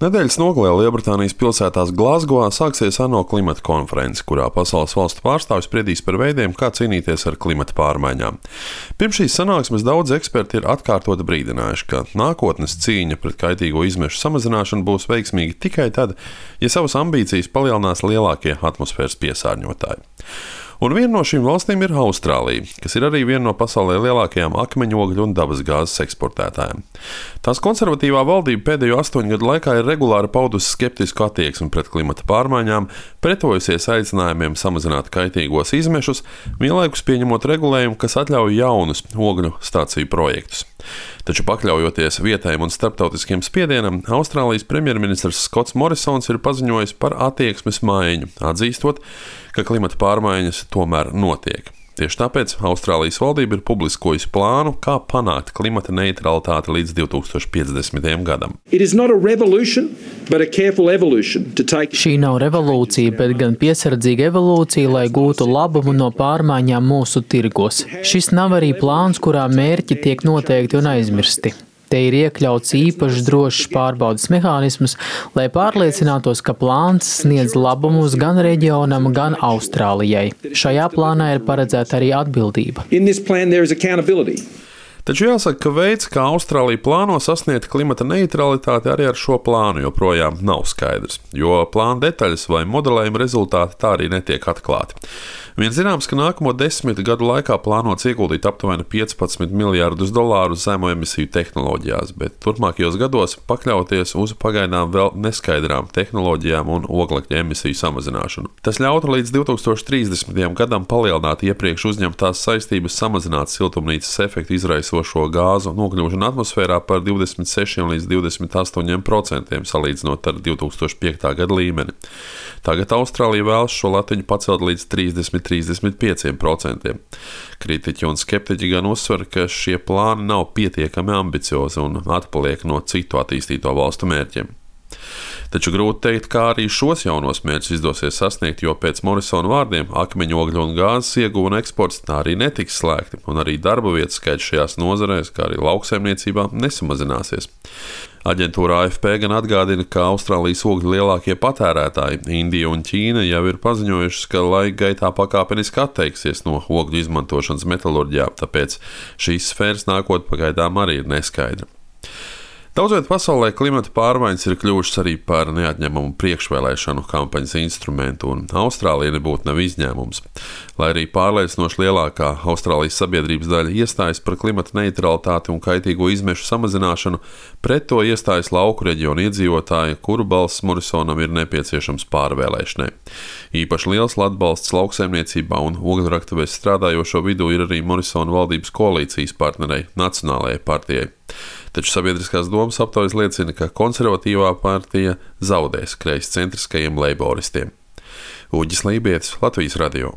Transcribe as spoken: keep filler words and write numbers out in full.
Nedēļas nogalē Lielbritānijas pilsētās Glazgovā sāksies ANO klimata konference, kurā pasaules valstu pārstāvji spriedīs par veidiem, kā cīnīties ar klimata pārmaiņām. Pirms šīs sanāksmes daudz eksperti ir atkārtoti brīdinājuši, ka nākotnes cīņa pret kaitīgo izmešu samazināšanu būs veiksmīga tikai tad, ja savas ambīcijas palielinās lielākie atmosfēras piesārņotāji. Un viena no šīm valstīm ir Austrālija, kas ir arī viena no pasaulē lielākajām akmeņogļu un dabasgāzes eksportētājiem. Tās konservatīvā valdība pēdējo astoņu gadu laikā ir regulāri paudusi skeptisku attieksmi pret klimata pārmaiņām, pretojusies aicinājumiem samazināt kaitīgos izmešus, vienlaikus pieņemot regulējumu, kas atļauj jaunus ogļu stāciju projektus. Taču pakļaujoties vietējiem un starptautiskiem spiedienam, Austrālijas premjerministrs Skots Morisons ir paziņojis par attieksmes maiņu, atzīstot, ka klimata pārmaiņas tomēr notiek. Tieši tāpēc Austrālijas valdība ir publiskojusi plānu, kā panākt klimata neutralitāti līdz divi tūkstoši piecdesmitajam gadam. Take... Šī nav revolūcija, bet gan piesardzīga evolūcija, lai gūtu labumu no pārmaiņām mūsu tirgos. Šis nav arī plāns, kurā mērķi tiek noteikti un aizmirsti. Te ir iekļauts īpašs drošs pārbaudes mehānisms, lai pārliecinātos, ka plāns sniedz labumus gan reģionam, gan Austrālijai. Šajā plānā ir paredzēta arī atbildība. Taču jāsaka, ka veids, kā Austrālija plāno sasniegt klimata neutralitāti, arī ar šo plānu joprojām nav skaidrs, jo plāna detaļas vai modelējuma rezultāti tā arī netiek atklāti. Vien zināms, ka nākamo desmit gadu laikā plānots ieguldīt aptuveni piecpadsmit miljārdus dolāru zemo emisiju tehnoloģijās, bet turpmākajos gados pakļauties uz pagaidām vēl neskaidrām tehnoloģijām un oglekļa emisiju samazināšanu. Tas ļautu līdz divi tūkstoši trīsdesmitajam gadam palielināt iepriekš uzņemtās saistības samazināt siltumnīcas efektu izraisošo gāzu nokļūšanu atmosfērā par divdesmit sešiem līdz divdesmit astoņiem procentiem salīdzinot ar divi tūkstoši piekta gada līmeni. Tagad Austrālija vēlas šo latiņu pacelt līdz trīsdesmit līdz trīsdesmit pieciem procentiem. Kritiķi un skeptiķi gan uzsver, ka šie plāni nav pietiekami ambiciozi un atpaliek no citu attīstīto valstu mērķiem. Taču grūti teikt, kā arī šos jaunos mērķus izdosies sasniegt, jo pēc Morisona vārdiem akmeņogļu un gāzes ieguve un eksports tā arī netiks slēgti, un arī darba vietu skaits šajās nozarēs, kā arī lauksaimniecībā, nesamazināsies. Aģentūra A F P gan atgādina, ka Austrālijas ogļu lielākie patērētāji, Indija un Ķīna, jau ir paziņojušas, ka laika gaitā pakāpeniski atteiksies no ogļu izmantošanas metalurģijā, tāpēc šīs sfēras nākotne pagaidām arī ir neskaidra. Daudzviet pasaulē klimata pārmaiņas ir kļuvušas arī par neatņemamu priekšvēlēšanu kampaņas instrumentu, un Austrālija nebūtu nav izņēmums. Lai arī pārliecinoši lielākā Austrālijas sabiedrības daļa iestājas par klimata neutralitāti un kaitīgo izmešu samazināšanu, pret to iestājas lauku reģionu iedzīvotāji, kuru balss Morisonam ir nepieciešams pārvēlēšanai. Īpaši liels atbalsts lauksaimniecībā un ogļraktuvēs strādājošo vidū ir arī Morisona valdības koalīcijas partnerei Nacionālajai partijai. Taču sabiedriskās domas aptaujas liecina, ka konservatīvā partija zaudēs kreiscentriskajiem leiboristiem. Uģis Lībietis, Latvijas radio.